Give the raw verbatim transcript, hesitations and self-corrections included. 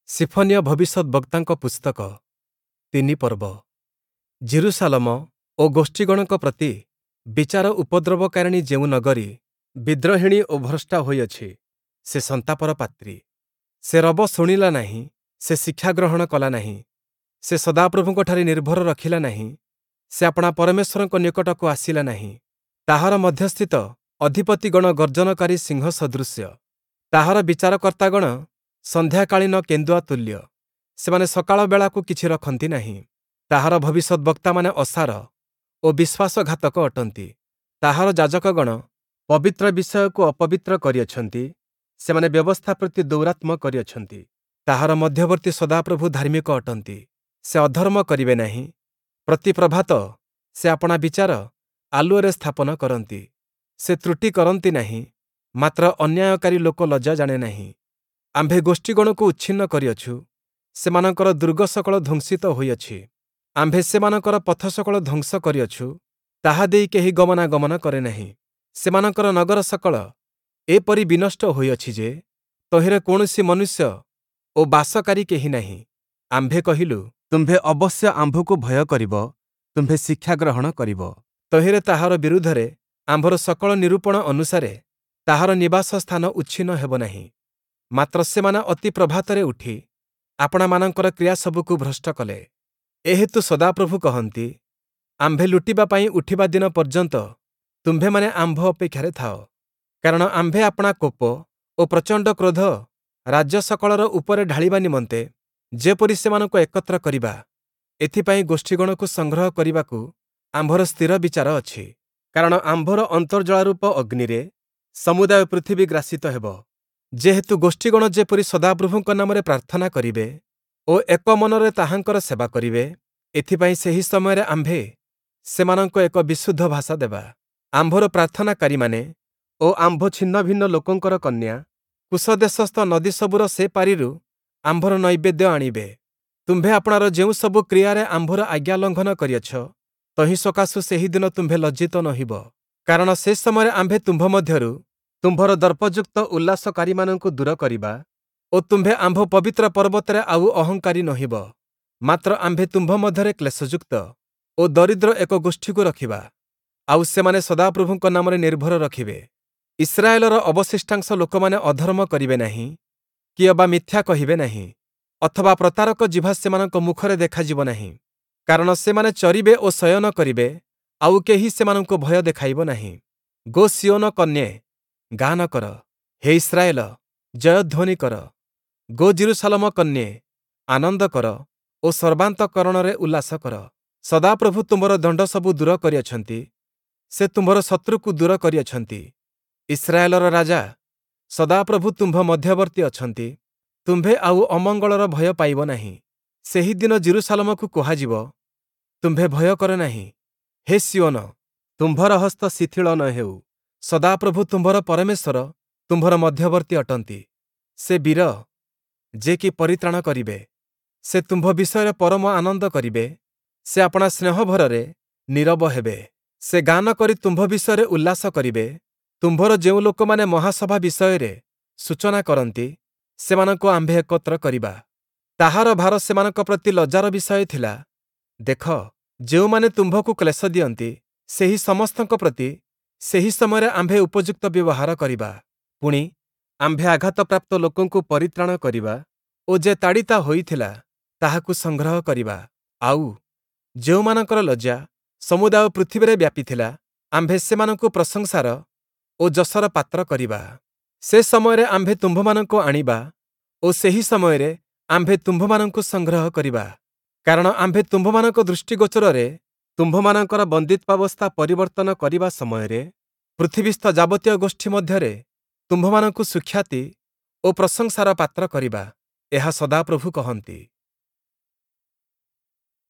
ସିଫନୀୟ ଭବିଷ୍ୟଦ୍‌ବକ୍ତାଙ୍କ ପୁସ୍ତକ ତିନି ପର୍ବ ଯିରୂଶାଲମ ଓ ଗୋଷ୍ଠୀଗଣଙ୍କ ପ୍ରତି ବିଚାର ଉପଦ୍ରବକାରିଣୀ ଯେଉଁ ନଗରୀ ବିଦ୍ରୋହିଣୀ ଓ ଭ୍ରଷ୍ଟା ହୋଇଅଛି, ସେ ସନ୍ତାପର ପାତ୍ରୀ। ସେ ରବ ଶୁଣିଲା ନାହିଁ, ସେ ଶିକ୍ଷା ଗ୍ରହଣ କଲା ନାହିଁ, ସେ ସଦାପ୍ରଭୁଙ୍କଠାରେ ନିର୍ଭର ରଖିଲା ନାହିଁ, ସେ ଆପଣା ପରମେଶ୍ୱରଙ୍କ ନିକଟକୁ ଆସିଲା ନାହିଁ। ତାହାର ମଧ୍ୟସ୍ଥିତ ଅଧିପତିଗଣ ଗର୍ଜନକାରୀ ସିଂହ ସଦୃଶ୍ୟ, ତାହାର ବିଚାରକର୍ତ୍ତାଗଣ ସନ୍ଧ୍ୟାକାଳୀନ କେନ୍ଦୁଆ ତୁଲ୍ୟ, ସେମାନେ ସକାଳ ବେଳାକୁ କିଛି ରଖନ୍ତି ନାହିଁ। ତାହାର ଭବିଷ୍ୟଦ୍‌ବକ୍ତାମାନେ ଅସାର ଓ ବିଶ୍ୱାସଘାତକ ଅଟନ୍ତି, ତାହାର ଯାଜକଗଣ ପବିତ୍ର ବିଷୟକୁ ଅପବିତ୍ର କରିଅଛନ୍ତି, ସେମାନେ ବ୍ୟବସ୍ଥା ପ୍ରତି ଦୌରାତ୍ମ୍ୟ କରିଅଛନ୍ତି। ତାହାର ମଧ୍ୟବର୍ତ୍ତୀ ସଦାପ୍ରଭୁ ଧାର୍ମିକ ଅଟନ୍ତି, ସେ ଅଧର୍ମ କରିବେ ନାହିଁ, ପ୍ରତି ପ୍ରଭାତ ସେ ଆପଣା ବିଚାର ଆଲୁଅରେ ସ୍ଥାପନ କରନ୍ତି। ସେ ତ୍ରୁଟି କରନ୍ତି ନାହିଁ, ମାତ୍ର ଅନ୍ୟାୟକାରୀ ଲୋକ ଲଜ୍ଜା ଜାଣେ ନାହିଁ। ଆମ୍ଭେ ଗୋଷ୍ଠୀଗଣକୁ ଉଚ୍ଛିନ୍ନ କରିଅଛୁ, ସେମାନଙ୍କର ଦୁର୍ଗ ସକଳ ଧ୍ୱଂସିତ ହୋଇଅଛି। ଆମ୍ଭେ ସେମାନଙ୍କର ପଥ ସକଳ ଧ୍ୱଂସ କରିଅଛୁ, ତାହା ଦେଇ କେହି ଗମନାଗମନ କରେ ନାହିଁ। ସେମାନଙ୍କର ନଗର ସକଳ ଏପରି ବିନଷ୍ଟ ହୋଇଅଛି ଯେ, ତହିଁରେ କୌଣସି ମନୁଷ୍ୟ ଓ ବାସକାରୀ କେହି ନାହିଁ। ଆମ୍ଭେ କହିଲୁ, ତୁମ୍ଭେ ଅବଶ୍ୟ ଆମ୍ଭକୁ ଭୟ କରିବ, ତୁମ୍ଭେ ଶିକ୍ଷା ଗ୍ରହଣ କରିବ। ତହିଁରେ ତାହାର ବିରୁଦ୍ଧରେ ଆମ୍ଭର ସକଳ ନିରୂପଣ ଅନୁସାରେ ତାହାର ନିବାସ ସ୍ଥାନ ଉଚ୍ଛିନ୍ନ ହେବ ନାହିଁ। ମାତ୍ର ସେମାନେ ଅତି ପ୍ରଭାତରେ ଉଠି ଆପଣାମାନଙ୍କର କ୍ରିୟାସବୁକୁ ଭ୍ରଷ୍ଟ କଲେ। ଏହେତୁ ସଦାପ୍ରଭୁ କହନ୍ତି, ଆମ୍ଭେ ଲୁଟିବା ପାଇଁ ଉଠିବା ଦିନ ପର୍ଯ୍ୟନ୍ତ ତୁମ୍ଭେମାନେ ଆମ୍ଭ ଅପେକ୍ଷାରେ ଥାଅ। କାରଣ ଆମ୍ଭେ ଆପଣା କୋପ ଓ ପ୍ରଚଣ୍ଡ କ୍ରୋଧ ରାଜ୍ୟ ସକଳର ଉପରେ ଢାଳିବା ନିମନ୍ତେ ଯେପରି ସେମାନଙ୍କୁ ଏକତ୍ର କରିବା, ଏଥିପାଇଁ ଗୋଷ୍ଠୀଗଣକୁ ସଂଗ୍ରହ କରିବାକୁ ଆମ୍ଭର ସ୍ଥିର ବିଚାର ଅଛି। କାରଣ ଆମ୍ଭର ଅନ୍ତର୍ଜ୍ୱାଳାରୂପ ଅଗ୍ନିରେ ସମୁଦାୟ ପୃଥିବୀ ଗ୍ରାସିତ ହେବ। ଯେହେତୁ ଗୋଷ୍ଠୀଗଣ ଯେପରି ସଦାପ୍ରଭୁଙ୍କ ନାମରେ ପ୍ରାର୍ଥନା କରିବେ ଓ ଏକ ମନରେ ତାହାଙ୍କର ସେବା କରିବେ, ଏଥିପାଇଁ ସେହି ସମୟରେ ଆମ୍ଭେ ସେମାନଙ୍କୁ ଏକ ବିଶୁଦ୍ଧ ଭାଷା ଦେବା। ଆମ୍ଭର ପ୍ରାର୍ଥନାକାରୀମାନେ ଓ ଆମ୍ଭ ଛିନ୍ନଭିନ୍ନ ଲୋକଙ୍କର କନ୍ୟା କୁଶ ଦେଶସ୍ଥ ନଦୀସବୁର ସେ ପାରିରୁ ଆମ୍ଭର ନୈବେଦ୍ୟ ଆଣିବେ। ତୁମ୍ଭେ ଆପଣାର ଯେଉଁ ସବୁ କ୍ରିୟାରେ ଆମ୍ଭର ଆଜ୍ଞା ଲଙ୍ଘନ କରିଅଛ, ତହିଁ ସକାଶୁ ସେହି ଦିନ ତୁମ୍ଭେ ଲଜ୍ଜିତ ନୋହିବ। କାରଣ ସେ ସମୟରେ ଆମ୍ଭେ ତୁମ୍ଭ ମଧ୍ୟରୁ ତୁମ୍ଭର ଦର୍ପଯୁକ୍ତ ଉଲ୍ଲାସକାରୀମାନଙ୍କୁ ଦୂର କରିବା ଓ ତୁମ୍ଭେ ଆମ୍ଭ ପବିତ୍ର ପର୍ବତରେ ଆଉ ଅହଙ୍କାରୀ ନୋହିବ। ମାତ୍ର ଆମ୍ଭେ ତୁମ୍ଭ ମଧ୍ୟରେ କ୍ଲେଶଯୁକ୍ତ ଓ ଦରିଦ୍ର ଏକ ଗୋଷ୍ଠୀକୁ ରଖିବା, ଆଉ ସେମାନେ ସଦାପ୍ରଭୁଙ୍କ ନାମରେ ନିର୍ଭର ରଖିବେ। ଇସ୍ରାଏଲର ଅବଶିଷ୍ଟାଂଶ ଲୋକମାନେ ଅଧର୍ମ କରିବେ ନାହିଁ, କି ଅବା ମିଥ୍ୟା କହିବେ ନାହିଁ, ଅଥବା ପ୍ରତାରକ ଜିଭା ସେମାନଙ୍କ ମୁଖରେ ଦେଖାଯିବ ନାହିଁ। କାରଣ ସେମାନେ ଚରିବେ ଓ ଶୟନ କରିବେ, ଆଉ କେହି ସେମାନଙ୍କୁ ଭୟ ଦେଖାଇବ ନାହିଁ। ଗୋ ସିୟୋନ କନ୍ୟେ, ଗାନ କର, ହେ ଇସ୍ରାଏଲ, ଜୟଧ୍ୱନି କର। ଗୋ ଯିରୂଶାଲମ କନ୍ୟେ, ଆନନ୍ଦ କର ଓ ସର୍ବାନ୍ତଃକରଣରେ ଉଲ୍ଲାସ କର। ସଦାପ୍ରଭୁ ତୁମ୍ଭର ଦଣ୍ଡସବୁ ଦୂର କରିଅଛନ୍ତି, ସେ ତୁମ୍ଭର ଶତ୍ରୁକୁ ଦୂର କରିଅଛନ୍ତି। ଇସ୍ରାଏଲର ରାଜା ସଦାପ୍ରଭୁ ତୁମ୍ଭ ମଧ୍ୟବର୍ତ୍ତୀ ଅଛନ୍ତି, ତୁମ୍ଭେ ଆଉ ଅମଙ୍ଗଳର ଭୟ ପାଇବ ନାହିଁ। ସେହି ଦିନ ଯିରୂଶାଲମକୁ କୁହାଯିବ, ତୁମ୍ଭେ ଭୟ କର ନାହିଁ, ହେ ସିୟୋନ, ତୁମ୍ଭର ହସ୍ତ ଶିଥିଳ ନ ହେଉ। ସଦାପ୍ରଭୁ ତୁମ୍ଭର ପରମେଶ୍ୱର ତୁମ୍ଭର ମଧ୍ୟବର୍ତ୍ତୀ ଅଟନ୍ତି। ସେ ବୀର, ଯେ କି ପରିତ୍ରାଣ କରିବେ। ସେ ତୁମ୍ଭ ବିଷୟରେ ପରମ ଆନନ୍ଦ କରିବେ, ସେ ଆପଣା ସ୍ନେହଭରରେ ନୀରବ ହେବେ। ସେ ଗାନ କରି ତୁମ୍ଭ ବିଷୟରେ ଉଲ୍ଲାସ କରିବେ। ତୁମ୍ଭର ଯେଉଁ ଲୋକମାନେ ମହାସଭା ବିଷୟରେ ସୂଚନା କରନ୍ତି, ସେମାନଙ୍କୁ ଆମ୍ଭେ ଏକତ୍ର କରିବା। ତାହାର ଭାର ସେମାନଙ୍କ ପ୍ରତି ଲଜ୍ଜାର ବିଷୟ ଥିଲା। ଦେଖ, ଯେଉଁମାନେ ତୁମ୍ଭକୁ କ୍ଲେଶ ଦିଅନ୍ତି, ସେହି ସମସ୍ତଙ୍କ ପ୍ରତି ସେହି ସମୟରେ ଆମ୍ଭେ ଉପଯୁକ୍ତ ବ୍ୟବହାର କରିବା। ପୁଣି, ଆମ୍ଭେ ଆଘାତପ୍ରାପ୍ତ ଲୋକଙ୍କୁ ପରିତ୍ରାଣ କରିବା ଓ ଯେ ତାଡ଼ିତା ହୋଇଥିଲା, ତାହାକୁ ସଂଗ୍ରହ କରିବା। ଆଉ, ଯେଉଁମାନଙ୍କର ଲଜ୍ଜା ସମୁଦାୟ ପୃଥିବୀରେ ବ୍ୟାପିଥିଲା, ଆମ୍ଭେ ସେମାନଙ୍କୁ ପ୍ରଶଂସାର ଓ ଯଶର ପାତ୍ର କରିବା। ସେ ସମୟରେ ଆମ୍ଭେ ତୁମ୍ଭମାନଙ୍କୁ ଆଣିବା ଓ ସେହି ସମୟରେ ଆମ୍ଭେ ତୁମ୍ଭମାନଙ୍କୁ ସଂଗ୍ରହ କରିବା। କାରଣ ଆମ୍ଭେ ତୁମ୍ଭମାନଙ୍କ ଦୃଷ୍ଟିଗୋଚରରେ ତୁମ୍ଭମାନଙ୍କର ବନ୍ଦିତ୍ୱାବସ୍ଥା ପରିବର୍ତ୍ତନ କରିବା ସମୟରେ ପୃଥିବୀସ୍ଥ ଯାବତୀୟ ଗୋଷ୍ଠୀ ମଧ୍ୟରେ ତୁମ୍ଭମାନଙ୍କୁ ସୁଖ୍ୟାତି ଓ ପ୍ରଶଂସାର ପାତ୍ର କରିବା, ଏହା ସଦାପ୍ରଭୁ କହନ୍ତି।